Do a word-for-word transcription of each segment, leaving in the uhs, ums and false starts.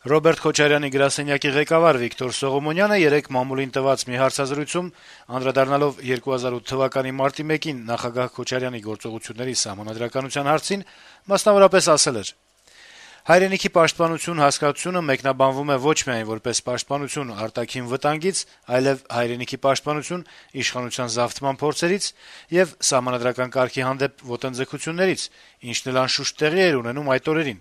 Ռոբերտ Քոչարյանի գրասենյակի ղեկավար Վիկտոր Սողոմոնյանը երեկ մամուլին տված մի հարցազրույցում անդրադառնալով երկու հազար ութ թվականի մարտի մեկին նախագահ Քոչարյանի գործողությունների սահմանադրականության հարցին մասնավորապես ասել էր. «Հայրենիքի պաշտպանություն հասկացությունը մեկնաբանվում է ոչ միայն որպես պաշտպանություն արտաքին վտանգից, այլև հայրենիքի պաշտպանություն իշխանության զավթման փորձերից եւ սահմանադրական կարգի հանդեպ ոտնձգություններից, ինչն էլ անշուշտ տեղի էր ունենում այդ օրերին»։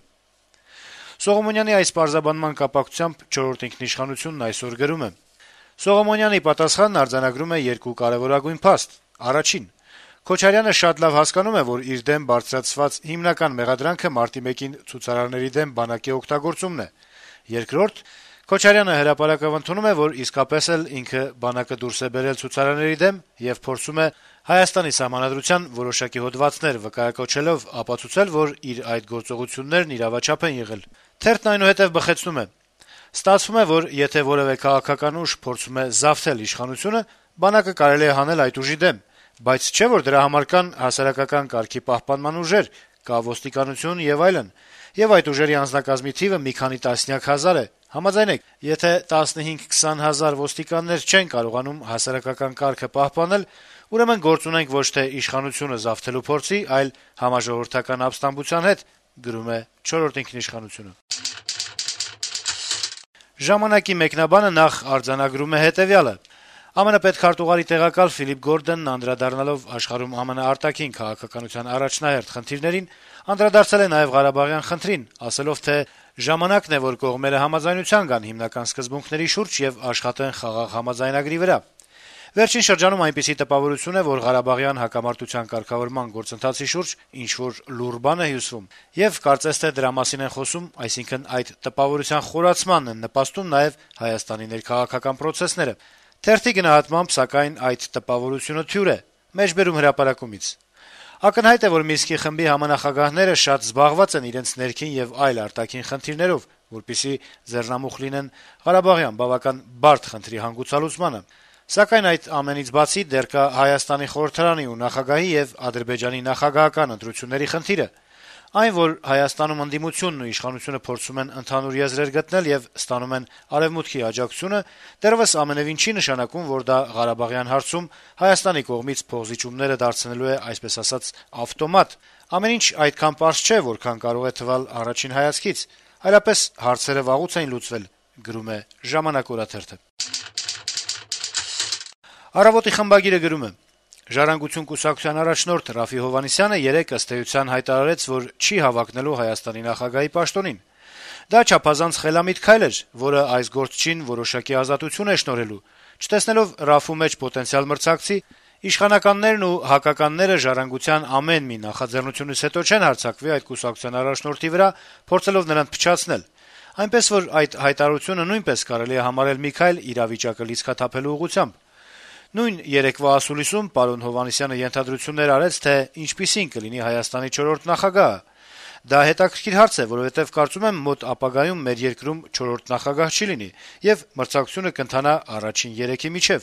Սողոմոնյանի այս պարզաբանման կապակցությամբ «Չորրորդ ինքնիշխանությունն» այսօր գրում է. - «Սողոմոնյանի պատասխանն արձանագրում է երկու կարեւորագույն փաստ: Առաջին. Քոչարյանը շատ լավ հասկանում է, որ իր դեմ բարձրացված հիմնական մեղադրանքը մարտի մեկին ցուցարարների դեմ բանակի օգտագործումն է: Երկրորդ. Քոչարյանը հրապարակավ ընդունում է, որ իսկապես էլ ինքը բանակը դուրս է բերել ցուցարարների դեմ եւ փորձում է Հայաստանի Սահմանադրության որոշակի հոդվածներ վկայակոչելով ապացուցել, որ իր այդ գործողություններն իրավաչափ են եղել»: Թերթն այնուհետեւ բխեցնում է. - «Ստացվում է, որ եթե որեւէ քաղաքական ուժ փորձում է զավթել իշխանությունը, բանակը կարելի է հանել այդ ուժի դեմ, բայց չէ՞ որ դրա համար կան հասարակական կարգի պահպանման ուժեր, կա ոստիկանություն եւ այլն, եւ այդ ուժերի անձնակազմի թիվը մի քանի տասնյակ հազար է: Համաձայնեք, եթե տասնհինգ-քսան հազար ոստիկաններ չեն կարողանում հասարակական կարգը պահպանել, ուրեմն գործ ունենք ոչ թե իշխանությունը զավթելու փորձի, այլ համաժողովրդական ապստամբության հետ»: «Ժամանակ»-ի մեկնաբանը նախ արձանագրում է հետեւյալը. - «ԱՄՆ պետքարտուղարի տեղակալ Ֆիլիպ Գորդոնն անդրադառնալով աշխարհում ԱՄՆ արտաքին քաղաքականության առաջնահերթ խնդիրներին, անդրադարձել է նաեւ Ղարաբաղյան խնդրին, ասելով, թե ժամանակն է, որ կողմերը համաձայնության գան հիմնական սկզբունքների շուրջ եւ աշխատեն խաղաղ համաձայնագրի վրա: Վերջին շրջանում այնպիսի տպավորություն է, որ Ղարաբաղյան հակամարտության կարգավորման գործընթացի շուրջ ինչ-որ լուռ բան է հյուսվում, եւ կարծես թե դրա մասին են խոսում, այսինքն այդ տպավորության խորացմանն են նպաստում նաեւ Հայաստանի ներքաղաքական պրոցեսները: Թերթի գնահատմամբ, սակայն, այդ տպավորությունը թյուր է, մեջբերում հրապարակումից: Ակնհայտ է, որ Մինսկի խմբի համանախագահները շատ զբաղված են իրենց ներքին եւ այլ արտաքին խնդիրներով, որպեսզի ձեռնամուխ լինեն Ղարաբաղյան բավական բարդ խնդրի հանգուցալուծմանը: Սակայն այդ ամենից բացի դեռ կա Հայաստանի խորհրդարանի ու նախագահի եւ Ադրբեջանի նախագահական ընտրությունների խնդիրը: Այն, որ Հայաստանում ընդդիմությունն ու իշխանությունը փորձում են ընդհանուր եզրեր գտնել եւ ստանում են Արեւմուտքի աջակցությունը, դեռեւս ամենեւին չի նշանակում, որ դա Ղարաբաղյան հարցում Հայաստանի կողմից փոխզիջումները դարձնելու է, այսպես ասած, ավտոմատ: Ամեն ինչ այդքան պարզ չէ, որքան կարող է թվալ առաջին հայացքից, այլապես հարցերը վաղուց էին լուծվել»: «Առավոտ»-ի խմբագիրը գրում է. - «Ժառանգություն կուսակցության առաջնորդ Րաֆֆի Հովհաննիսյանը երեկ, ըստ էության, հայտարարեց, որ չի հավակնելու Հայաստանի նախագահի պաշտոնին: Դա չափազանց խելամիտ քայլ էր, որը այս գործչին որոշակի ազատություն է շնորհելու: Չտեսնելով Րաֆֆու մեջ պոտենցիալ մրցակցի, իշխանականներն ու հակականները «Ժառանգության» ամեն մի նախաձեռնությունից հետո չեն հարձակվի այդ կուսակցության առաջնորդի վրա` փորձելով նրան փչացնել: Այնպես որ այդ հայտարարությունը նույնպես կարելի է համարել մի քայլ իրավիճակը լիցքաթափելու ուղղությամբ: Նույն երեկվա ասուլիսում պարոն Հովհաննիսյանը ենթադրություններ արեց, թե ինչպիսին կլինի Հայաստանի չորրորդ նախագահը: Դա հետաքրքիր հարց է, որովհետեւ կարծում եմ, մոտ ապագայում մեր երկրում չորրորդ նախագահ չի լինի, եւ մրցակցությունը կընթանա առաջին երեքի միջեւ»: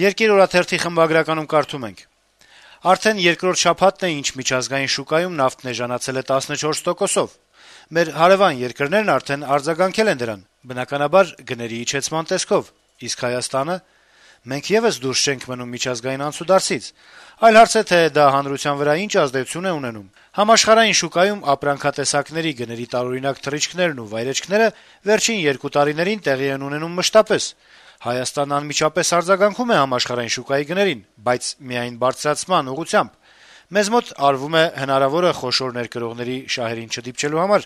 «Երկիր» օրաթերթի խմբագրականում կարդում ենք. - «Արդեն երկրորդ շաբաթն է, ինչ միջազգային շուկայում նավթն էժանացել է տասնչորս տոկոսով: Մեր հարեւան երկրներն արդեն արձագանքել են դրան, բնականաբար, գների իջեցման տեսքով: Իսկ Հայաստանը: Մենք եւս դուրս չենք մնում միջազգային անցուդարձից: Այլ հարց է, թե դա հանրության վրա ինչ ազդեցություն է ունենում: Համաշխարհային շուկայում ապրանքատեսակների գների տարօրինակ թռիչքներն ու վայրէջքները վերջին երկու տարիներին տեղի են ունենում մշտապես: Հայաստանն անմիջապես արձագանքում է համաշխարհային շուկայի գներին, բայց միայն բարձրացման ուղղությամբ: Մեզ մոտ արվում է հնարավորը խոշոր ներկրողների շահերին չդիպչելու համար»: